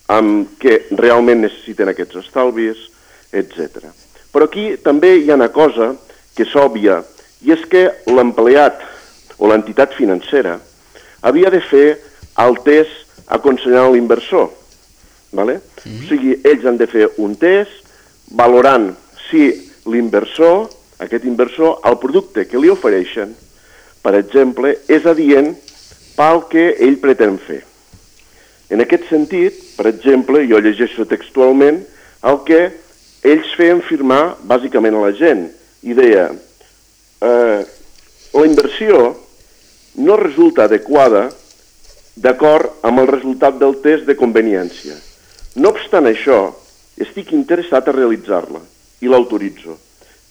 amb que realment necessiten aquests estalvis, etcètera. Però aquí també hi ha una cosa que és òbvia, i és que l'empleat o l'entitat financera havia de fer el test aconsellant l'inversor. Vale? Sí. O sigui, ells han de fer un test valorant si l'inversor, aquest inversor, el producte que li ofereixen, per exemple, és adient pel que ell pretén fer. En aquest sentit, per exemple, jo llegeixo textualment el que ells feien firmar bàsicament a la gent i deia eh, la inversió no resulta adequada d'acord amb el resultat del test de conveniència. No obstant això, estic interessat a realitzar-la i l'autoritzo.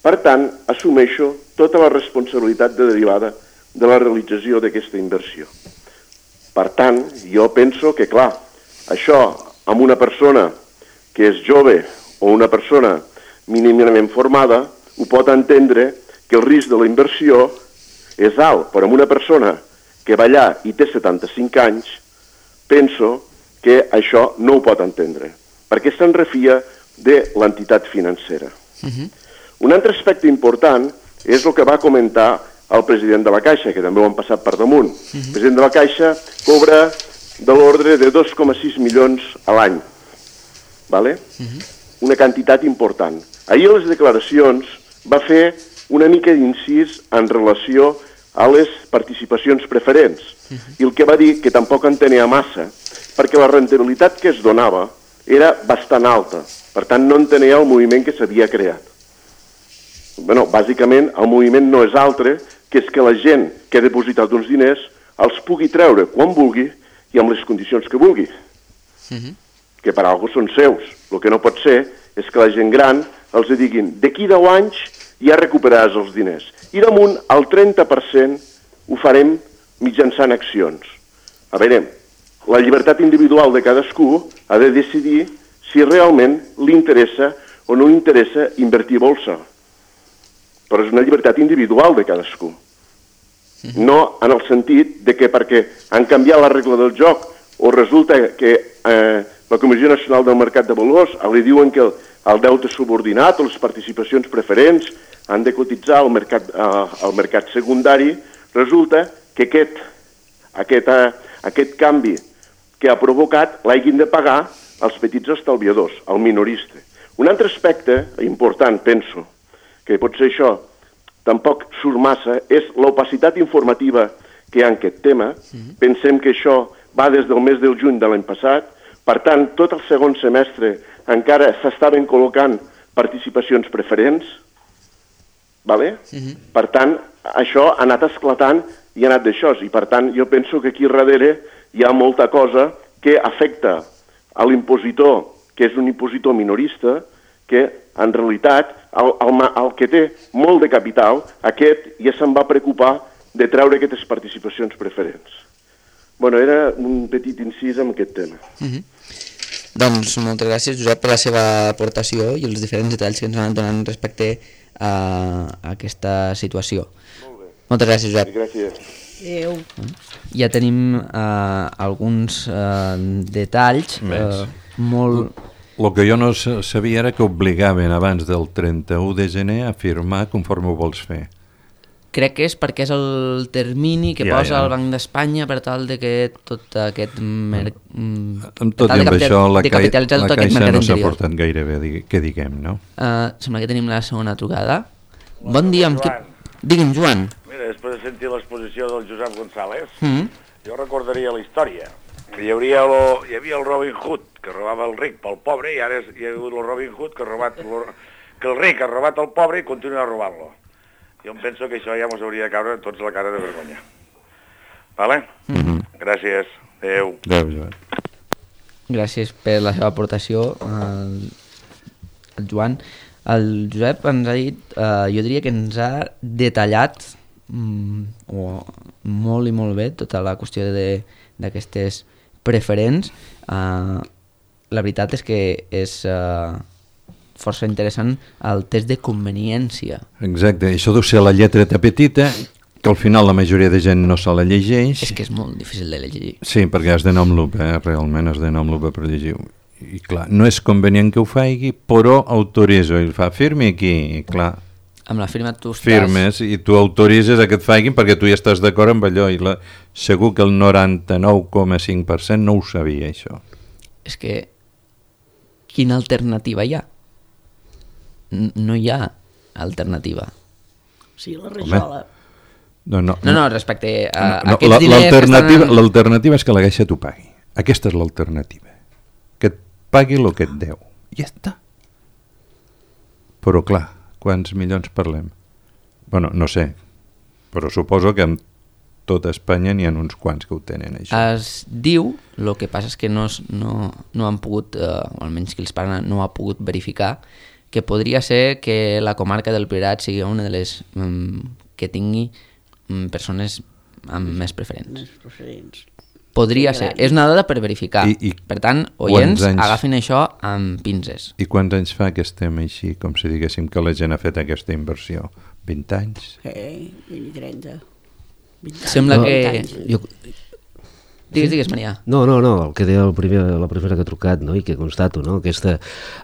Per tant, assumeixo tota la responsabilitat derivada de la realització d'aquesta inversió. Per tant, jo penso que, clar, això amb una persona que és jove o una persona mínimament formada ho pot entendre que el risc de la inversió és alt, però amb una persona que va allà i té setanta-cinc anys, penso que això no ho pot entendre, perquè se'n refia de l'entitat financera. Uh-huh. Un altre aspecte important és el que va comentar el president de la Caixa, que també ho han passat per damunt. Uh-huh. El president de la Caixa cobra de l'ordre de dos coma sis milions a l'any, vale? Uh-huh. Una quantitat important. Ahir a les declaracions va fer una mica d'incís en relació a les participacions preferents, uh-huh. i el que va dir que tampoc en tenia massa, perquè la rendibilitat que es donava era bastant alta, per tant no entenia el moviment que s'havia creat. Bueno, bàsicament el moviment no és altre que és que la gent que ha depositat uns diners els pugui treure quan vulgui i amb les condicions que vulgui, uh-huh. que per alguna són seus. El que no pot ser és que la gent gran els diguin d'aquí deu anys ja recuperaràs els diners. I damunt el trenta per cent ho farem mitjançant accions. A veure, la llibertat individual de cadascú ha de decidir si realment li interessa o no li interessa invertir a bolsa. Però és una llibertat individual de cadascú. No en el sentit de que perquè han canviat la regla del joc o resulta que eh, la Comissió Nacional del Mercat de Valors li diuen que el, el deute subordinat o les participacions preferents han de cotitzar al mercat, eh, al mercat secundari, resulta que aquest, aquest, eh, aquest canvi que ha provocat l'hagin de pagar els petits estalviadors, el minorista. Un altre aspecte important, penso, que pot ser això, tampoc surt massa, és l'opacitat informativa que hi ha en aquest tema. Mm-hmm. Pensem que això va des del mes del juny de l'any passat, per tant, tot el segon semestre encara s'estaven col·locant participacions preferents, vale? Mm-hmm. Per tant, això ha anat esclatant i ha anat d'això, i per tant, jo penso que aquí darrere hi ha molta cosa que afecta a l'impositor, que és un impositor minorista, que en realitat el, el, el que té molt de capital, aquest ja se'n va preocupar de treure aquestes participacions preferents. Bueno, era un petit incís en aquest tema. Mm-hmm. Doncs moltes gràcies, Josep, per la seva aportació i els diferents detalls que ens han donat respecte a, a aquesta situació. Molt bé. Moltes gràcies, Josep. Gràcies. Adéu. Ja tenim uh, alguns uh, detalls uh, molt... El que jo no sabia era que obligaven abans del trenta-u de gener a firmar conforme ho vols fer. Crec que és perquè és el termini que ja, posa ja. el Banc d'Espanya per tal de que tot aquest... Mer... Amb tot i amb això, la, cai... la Caixa no s'ha portat gaire bé, que diguem, no? Uh, sembla que tenim la segona trucada. Bon, bon dia. Amb qui... Digue'm, Joan. Mira, després de sentir l'exposició del Josep González, Mm-hmm. jo recordaria la història. Hi, hauria lo, hi havia el Robin Hood, que robava el ric pel pobre, i ara és, hi ha hagut el Robin Hood, que, ha robat, lo, que el ric ha robat el pobre i continua robant-lo. Jo em penso que això ja ens hauria de caure tots la cara de vergonya. Vale? Mm-hmm. Gràcies. Adéu. Adéu, Joan. Gràcies per la seva aportació, el, el Joan. El Josep ens ha dit, eh, jo diria que ens ha detallat mm, o, molt i molt bé tota la qüestió d'aquestes preferents. Uh, la veritat és que és uh, força interessant el test de conveniència. Exacte, això deu ser la lletreta petita, que al final la majoria de gent no se la llegeix. És que és molt difícil de llegir. Sí, perquè has d'anar amb lupa, eh? Realment has d'anar amb lupa per llegir. I clar, no és convenient que ho faci, però autoritzo. I fa, firmi aquí, i clar... Amb la firma tu estàs... Firmes i tu autoritzes a que et facin perquè tu ja estàs d'acord amb allò i la, segur que el noranta-nou coma cinc per cent no ho sabia, això. És que quina alternativa hi ha? N no hi ha alternativa. Sí, la rajola. No, no, No, no, respecte a no, aquests diners l'alternativa que estan... l'alternativa és que la Caixa t'ho pagui. Aquesta és l'alternativa. Que et pagui el que et deu. Ja està. Però clar, quants milions parlem? Bueno, no sé, però suposo que en tota Espanya n'hi ha uns quants que ho tenen, això. Es diu, el que passa és que no, no, no han pogut, eh, o almenys qui els parla no ha pogut verificar, que podria ser que la comarca del Priorat sigui una de les mm, que tingui mm, persones amb més preferents. Més preferents. Podria ser, és una dada per verificar. I, i per tant, oients, anys... agafin això amb pinces. I quants anys fa que estem així, com si diguéssim que la gent ha fet aquesta inversió? vint anys? Eh, vint i trenta. vint anys. Sembla No, que... Jo, Digues, digues, Maria. No, no, no, el que deia el primer, la primera que ha trucat, no? I que constato, no? aquesta,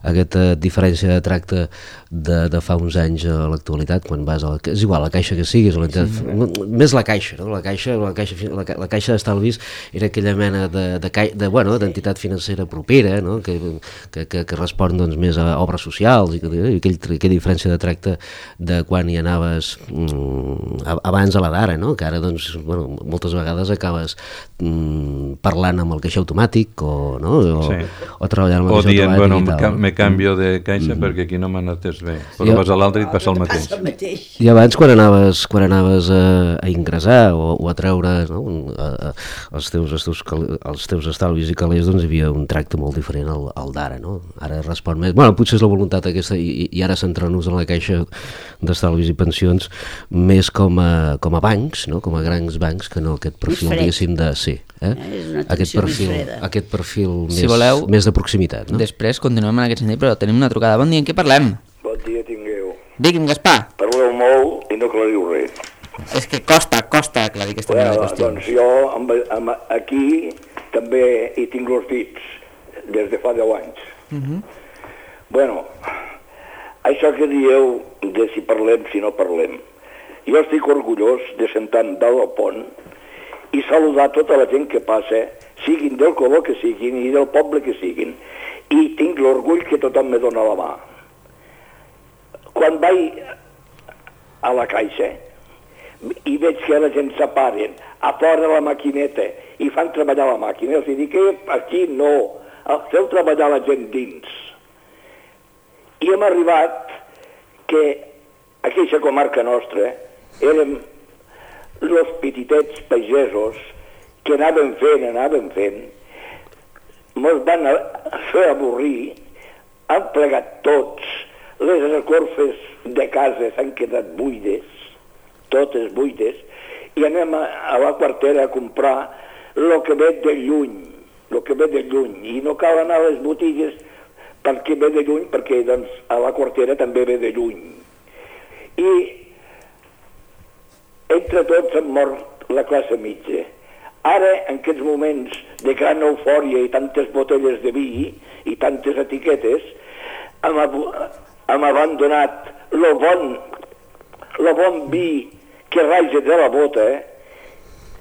aquesta diferència de tracte de, de fa uns anys a l'actualitat, quan vas a la, és igual, la caixa que siguis, la, sí. més la caixa, no? la caixa, la caixa, la, la caixa d'estalvis era aquella mena de, de, de, bueno, d'entitat financera propera, no? que, que, que, que respon doncs, més a obres socials, i, i aquell, aquella diferència de tracte de quan hi anaves mm, abans a la d'ara, no? que ara doncs, bueno, moltes vegades acabes mm, parlant amb el caixer automàtic o, no? o, sí. o treballant amb el o caixer dient, automàtic bueno, i tal. me canvio de caixa mm. perquè aquí no m'ha anat bé, però I, vas a l'altre i et passa el mateix. el mateix. I abans quan anaves, quan anaves a, a ingressar o, o a treure no? a, a, els, teus, els, teus, els teus estalvis i calés, doncs hi havia un tracte molt diferent al, al d'ara, no? Ara respon més, bueno, potser és la voluntat aquesta i, i ara centrar-nos en la caixa d'estalvis i pensions més com a, com a bancs, no? Com a grans bancs que no aquest perfil, diguéssim, de... Sí, Eh? Eh, és una Aquest atenció més perfil, freda. aquest perfil més, Si voleu, més de proximitat, no? Després continuem en aquest sentit, però tenim una trucada. Bon dia, en què parlem? Bon dia tingueu. Digui'm, Gaspar. Parleu molt i no aclariu res. És que costa, costa aclarir aquesta mena de Bueno, qüestions. doncs jo amb, amb, aquí també hi tinc els dits des de fa deu anys. Uh -huh. Bueno, això que dieu de si parlem, si no parlem, jo estic orgullós de sentar-me dalt al pont i saludar tota la gent que passa, siguin del color que siguin i del poble que siguin. I tinc l'orgull que tothom me dona la mà. Quan vaig a la caixa i veig que la gent s'aparen a fora de la maquineta i fan treballar la màquina, els dic que aquí no, feu treballar la gent dins. I hem arribat que aquesta comarca nostra érem els petitets pagesos que anaven fent, anaven fent, mos van fer avorrir, han plegat tots, les escorfes de casa s'han quedat buides, totes buides, i anem a, a la quartera a comprar el que ve de lluny, el que ve de lluny, i no cal anar a les botigues perquè ve de lluny, perquè doncs, a la quartera també ve de lluny. I entre tots hem mort la classe mitja. Ara, en aquests moments de gran eufòria i tantes botelles de vi i tantes etiquetes, hem, hem abandonat el bon, lo bon vi que raja de la bota, eh?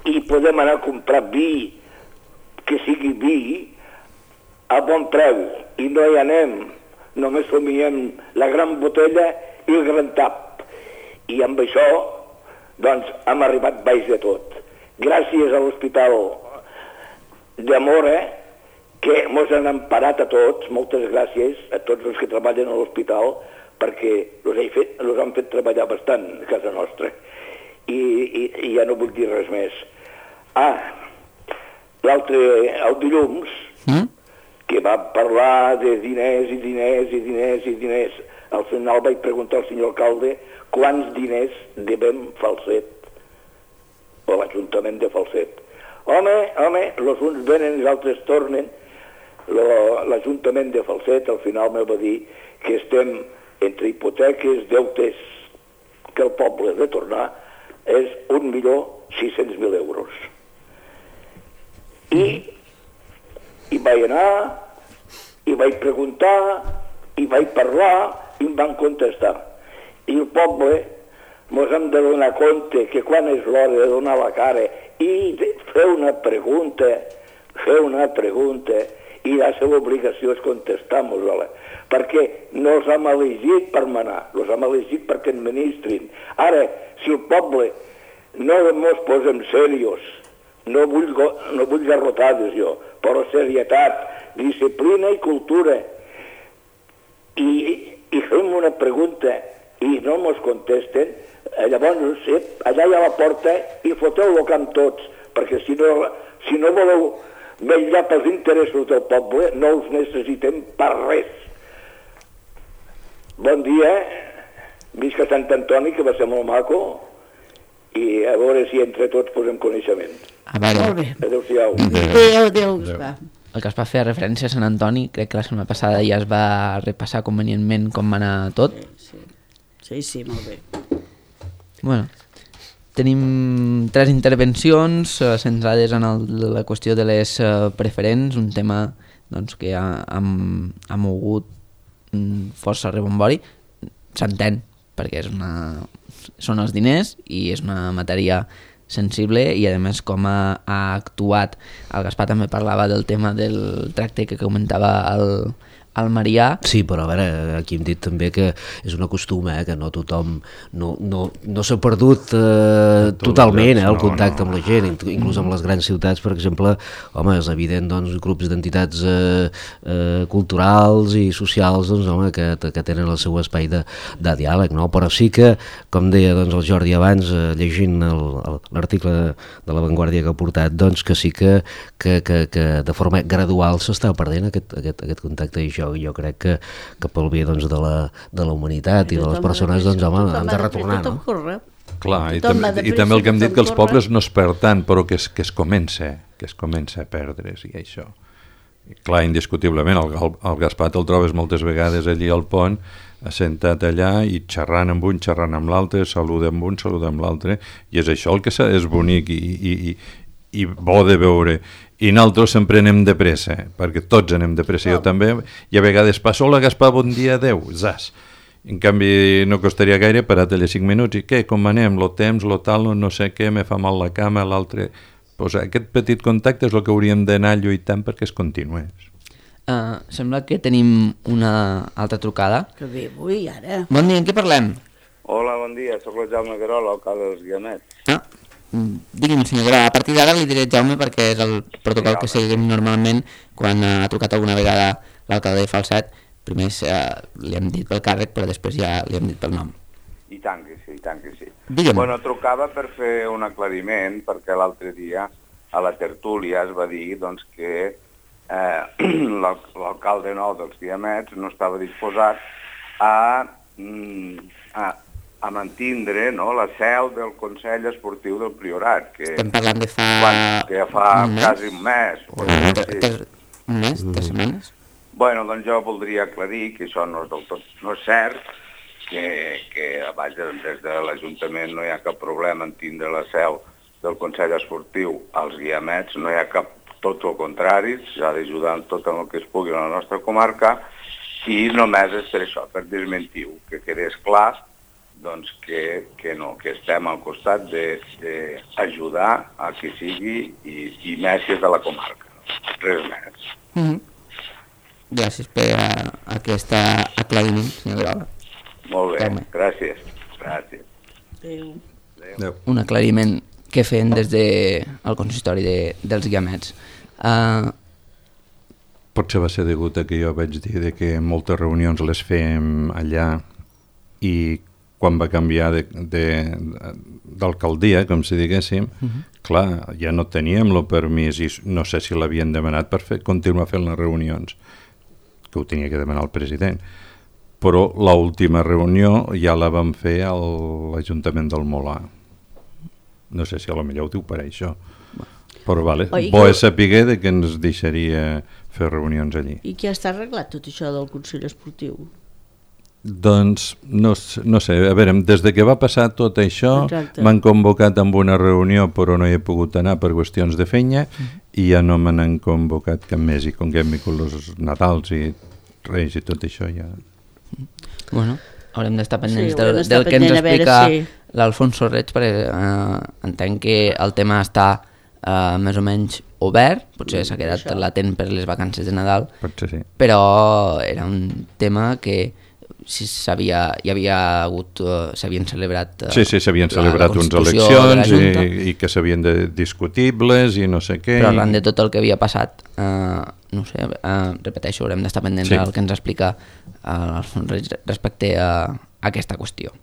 I podem anar a comprar vi que sigui vi a bon preu, i no hi anem, només somiem la gran botella i el gran tap. I amb això, doncs, hem arribat baix de tot. Gràcies a l'Hospital de Mora, que ens han emparat a tots, moltes gràcies a tots els que treballen a l'hospital, perquè els han fet treballar bastant a casa nostra. I, i, i ja no vull dir res més. Ah, l'altre, el dilluns, mm? que va parlar de diners i diners i diners i diners. Al final vaig preguntar al senyor alcalde quants diners devem Falset, o l'Ajuntament de Falset. Home, home, els uns venen i els altres tornen. L'Ajuntament de Falset al final me va dir que estem entre hipoteques, deutes, que el poble de tornar és un milió sis-cents mil euros. I, i vaig anar, i vaig preguntar, i vaig parlar, i em van contestar. I el poble ens hem de donar compte que quan és l'hora de donar la cara i fer una pregunta, fer una pregunta, i la seva obligació és contestar-nos-la, perquè no els hem elegit per manar, els hem elegit perquè administrin. Ara, si el poble no ens posem serios, no vull, no vull garrotades jo, però serietat, disciplina i cultura, i, i fem una pregunta i no ens contesten, llavors allà hi ha la porta i foteu-lo camp tots, perquè si no, si no voleu vetllar pels interessos del poble, no els necessitem per res. Bon dia, visca Sant Antoni, que va ser molt maco, i a veure si entre tots posem coneixement. A veure, Molt bé. Adéu-siau. Adéu, adéu, Gaspar. el que es va fer referència a Sant Antoni, crec que la setmana passada ja es va repassar convenientment com va anar tot. Sí, sí, sí, molt bé. Bueno, tenim tres intervencions eh, centrades en el, la qüestió de les eh, preferents, un tema doncs, que ha, ha, ha mogut mm, força rebombori. S'entén, perquè és una, són els diners i és una matèria sensible, i a més com ha, ha actuat. El Gaspar també parlava del tema del tracte que comentava el, el Marià. Sí, però a veure, aquí hem dit també que és una costum, eh, que no tothom no, no, no s'ha perdut eh, totalment eh, el contacte amb la gent, inclús amb les grans ciutats, per exemple. Home, és evident, doncs, grups d'entitats eh, eh, culturals i socials, doncs, home, que, que tenen el seu espai de, de diàleg, no? Però sí que, com deia doncs, el Jordi abans, eh, llegint l'article de, de La Vanguardia que ha portat, doncs que sí que, que, que, que de forma gradual s'està perdent aquest, aquest, aquest contacte, i jo, jo crec que, que pel bé doncs, de, la, de la humanitat i, i de les persones, doncs, home, hem de retornar, no? Clar, i, Tothom tam va de i pressa, també el que hem dit tothom que els corre. pobles no es perd tant, però que es, que es comença, que es comença a perdre's i això. I clar, indiscutiblement, el, el, el Gaspar te'l trobes moltes vegades allí al pont, assentat allà i xerrant amb un, xerrant amb l'altre, saluda amb un, saluda amb l'altre, i és això el que és bonic i, i, i, i bo de veure. I nosaltres sempre anem de pressa, perquè tots anem de pressa, jo també, i a vegades passo, hola Gaspar, bon dia, adeu, zas. En canvi, no costaria gaire parar allà cinc minuts i què, com anem, lo temps, lo tal, no sé què, me fa mal la cama, l'altre... Pues aquest petit contacte és el que hauríem d'anar lluitant perquè es continués. Uh, sembla que tenim una altra trucada. Que bé, avui, ara. Bon dia, en què parlem? Hola, bon dia, sóc el Jaume Guerola, alcalde dels Guiamets. Ah, digui'm, senyor Guerola, a partir d'ara li diré Jaume perquè és el protocol que seguim normalment quan ha trucat alguna vegada l'alcalde de Falset. Primer eh, li hem dit pel càrrec, però després ja li hem dit pel nom. I tant que sí, i tant que sí. Digue'm. Bueno, trucava per fer un aclariment, perquè l'altre dia a la tertúlia es va dir doncs, que eh, l'alcalde nou dels Guiamets no estava disposat a, a, a mantindre, no, la seu del Consell Esportiu del Priorat. Que, Estem parlant de fa... quan, que ja fa un mes? quasi un mes. Un mes? Un mes? Tres setmanes? Bueno, doncs jo voldria aclarir que això no és del tot no és cert, que, que vaja, des de l'Ajuntament no hi ha cap problema en tindre la seu del Consell Esportiu als Guiamets, no hi ha cap, tot el contrari, s'ha d'ajudar en tot el que es pugui a la nostra comarca, i només és per això, per desmentir-ho, que quedés clar doncs, que, que no, que estem al costat d'ajudar a qui sigui i, i més si és de la comarca, res més. Mm-hmm. Gràcies per uh, aquest aclariment, senyor Guerola. Molt bé, Jaume. gràcies. Gràcies. Adéu. Adéu. Un aclariment que fem des del de consistori de, dels Guiamets. Uh, Potser va ser degut a que jo vaig dir de que moltes reunions les fèiem allà i quan va canviar d'alcaldia, com si diguéssim, uh-huh. clar, ja no teníem el permís i no sé si l'havien demanat per fer, continuar fent les reunions, que ho tenia que demanar el president. Però l'última reunió ja la vam fer a l'Ajuntament del Molar. No sé si a lo millor ho diu per això. Però vale, Oi, bo que... és saber de que ens deixaria fer reunions allí. I què està arreglat tot això del Consell Esportiu? Doncs no, no sé, a veure, des de que va passar tot això Exacte. m'han convocat amb una reunió però no hi he pogut anar per qüestions de feina mm. i ja no me n'han convocat cap més i com que hem vingut els Natals i Reis i tot això ja... bueno, haurem d'estar pendents Sí, del, haurem d'estar del que ens pendent a veure explica si- l'Alfonso Reig, perquè uh, entenc que el tema està uh, més o menys obert, potser s'ha quedat Això. latent per les vacances de Nadal, Potser sí. però era un tema que si s'havia, hi havia hagut, uh, s'havien celebrat... Uh, Sí, sí, s'havien la- celebrat la uns constitució de la eleccions Junta, i, i que s'havien de discutibles i no sé què. però i- arran de tot el que havia passat, uh, no sé, uh, repeteixo, haurem d'estar pendents Sí. del que ens explica uh, Alfonso Reig respecte a, a aquesta qüestió.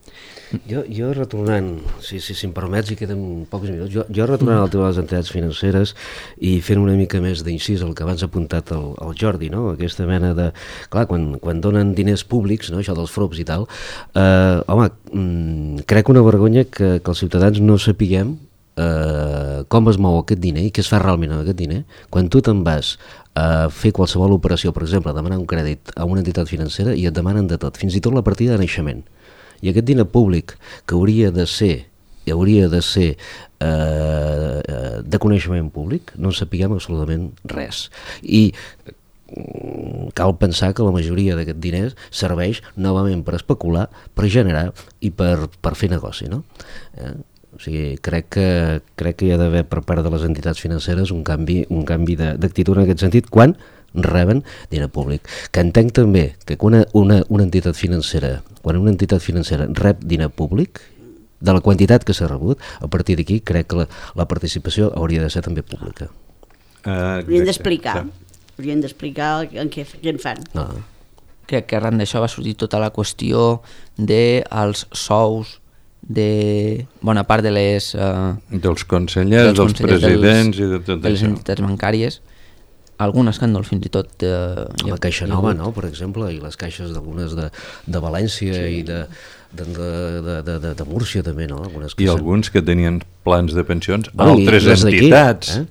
Jo, jo retornant, si, si, si em permets, i queden pocs minuts, jo, jo retornant al tema de les entitats financeres i fent una mica més d'incís al que abans ha apuntat el, el Jordi, no? Aquesta mena de... Clar, quan, quan donen diners públics, no? Això dels frops i tal, eh, home, mm, crec una vergonya que, que els ciutadans no sapiguem eh, com es mou aquest diner i què es fa realment amb aquest diner. Quan tu te'n vas a fer qualsevol operació, per exemple, a demanar un crèdit a una entitat financera i et demanen de tot, fins i tot la partida de naixement. I aquest diner públic que hauria de ser i hauria de ser eh, de coneixement públic, no en sapiguem absolutament res. I mm, cal pensar que la majoria d'aquest diners serveix novament per especular, per generar i per, per fer negoci, no? Eh? O sigui, crec que, crec que hi ha d'haver per part de les entitats financeres un canvi, un canvi d'actitud en aquest sentit quan reben diner públic. Que entenc també que una, una, una entitat financera, quan una entitat financera rep diner públic, de la quantitat que s'ha rebut, a partir d'aquí crec que la, la participació hauria de ser també pública. Uh, Haurien d'explicar, haurien d'explicar en què, què en fan. No. Crec que arran d'això va sortir tota la qüestió dels sous de bona part de les... Uh, dels consellers, dels, dels presidents dels, i de tot de les això. entitats bancàries. Algun escàndol fins i tot... Eh, La Caixa Nova, no?, per exemple, i les caixes d'algunes de, de València sí. i de de, de, de, de, de Múrcia també, no? Algunes que I són... alguns que tenien plans de pensions a Bueno, altres entitats. Eh?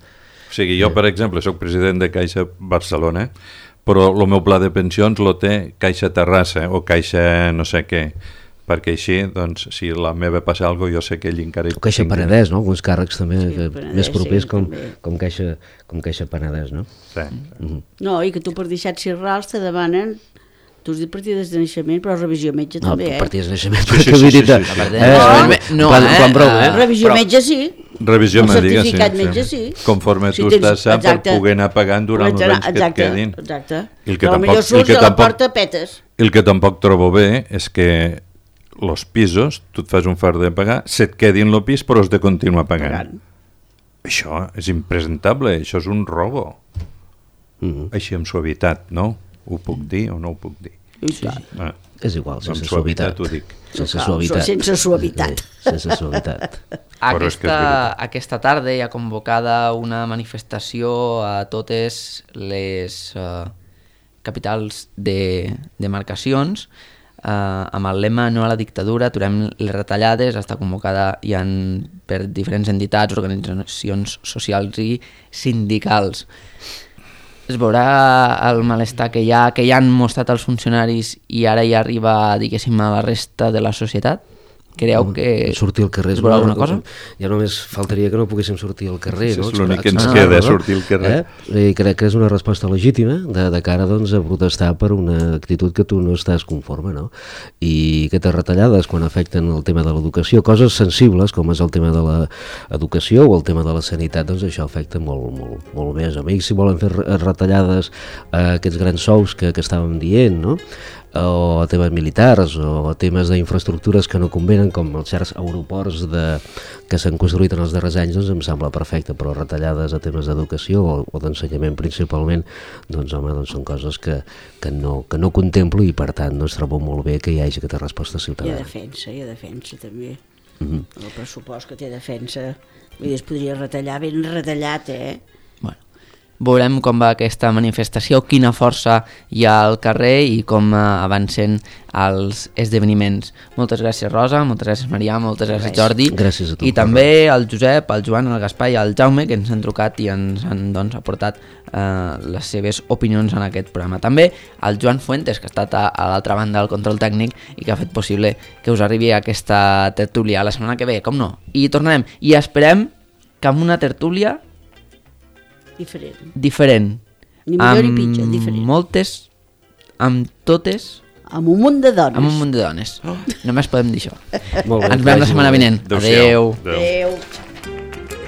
O sigui, jo, per exemple, sóc president de Caixa Barcelona, però el meu pla de pensions lo té Caixa Terrassa o Caixa no sé què, perquè així, doncs, si la meva passa alguna cosa, jo sé que ell encara... O Caixa Penedès, no? Alguns càrrecs també Sí, que, Penedès, més propers sí, com, també. com, Caixa, com Caixa Penedès, no? Sí. Mm-hmm. No, i que tu per deixar ser rals te demanen, tu has dit partides de naixement, però revisió metge No, també, eh? partides de naixement, Sí, sí, perquè sí, vull sí, dir... sí, eh, sí. La part de eh, naixement, no, quan, eh? quan broma, eh? Ah, Revisió però- metge sí. Revisió El mèdica, sí. certificat sí. metge, sí. Conforme Si tu tens- estàs sa per exacte. poder anar pagant durant els anys que et exacte, quedin. Exacte. I el que Però tampoc- millor el surts que a la tampoc- porta petes. El que tampoc trobo bé és que els pisos, tu et fas un fart de pagar, se't quedin el pis però has de continuar pagant. Pagant. Això és impresentable, això és un robo. Mm-hmm. Així amb suavitat, no? Ho puc dir o no ho puc dir? I tant. Ah, És igual, amb sense suavitat suavitat. ho dic. Sense Cal, suavitat. sense suavitat. Sí, sense suavitat. Però és que és Aquesta, veritat. aquesta tarda hi ha convocada una manifestació a totes les uh, capitals de demarcacions uh, amb el lema no a la dictadura, aturem les retallades. Està convocada ja en, per diferents entitats, organitzacions socials i sindicals. Es veurà el malestar que hi ha, que ja han mostrat els funcionaris i ara ja arriba, diguéssim, a la resta de la societat? Creieu que sortir al carrer es veurà alguna cosa? Ja només faltaria que no poguéssim sortir al carrer, Sí, no? és l'únic que ens Expressar-nos, queda, no? sortir al carrer. Eh? I crec que és una resposta legítima de, de cara doncs, a protestar per una actitud que tu no estàs conforme, no? I aquestes retallades quan afecten el tema de l'educació, coses sensibles com és el tema de l'educació o el tema de la sanitat, doncs això afecta molt, molt, molt més. A mi si volen fer re- retallades a aquests grans sous que, que estàvem dient, no? O a temes militars o a temes d'infraestructures que no convenen com els certs aeroports de, que s'han construït en els darrers anys, doncs em sembla perfecte, però retallades a temes d'educació o, o d'ensenyament principalment, doncs home, doncs són coses que, que, no, que no contemplo i per tant no es trobo molt bé que hi hagi aquesta resposta Hi ha ciutadana. defensa, hi ha defensa també. Mhm. El pressupost que té defensa, vull dir, es podria retallar ben retallat, eh? Bueno, veurem com va aquesta manifestació, quina força hi ha al carrer i com eh, avancen els esdeveniments. Moltes gràcies, Rosa, moltes gràcies, Marià, moltes gràcies, Res. Jordi. Gràcies a tu, I també al Josep, al Joan, al Gaspar i al Jaume, que ens han trucat i ens han doncs, aportat eh, les seves opinions en aquest programa. També al Joan Fuentes, que ha estat a, a l'altra banda del control tècnic i que ha fet possible que us arribi aquesta tertúlia la setmana que ve, com no. I tornarem. I esperem que amb una tertúlia Diferent. diferent. Ni millor ni amb pitjor, diferent. moltes, amb totes, Amb un munt de dones. amb un munt de dones. Només podem dir això. Molt bé, Ens que veiem la vagi setmana molt bé. vinent. Adéu-siau. Adéu. Adéu.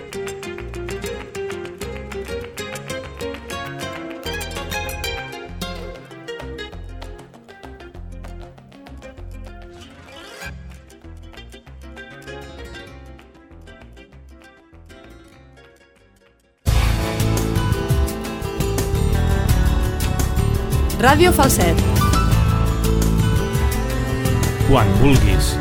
Ràdio Falset. Quan vulguis.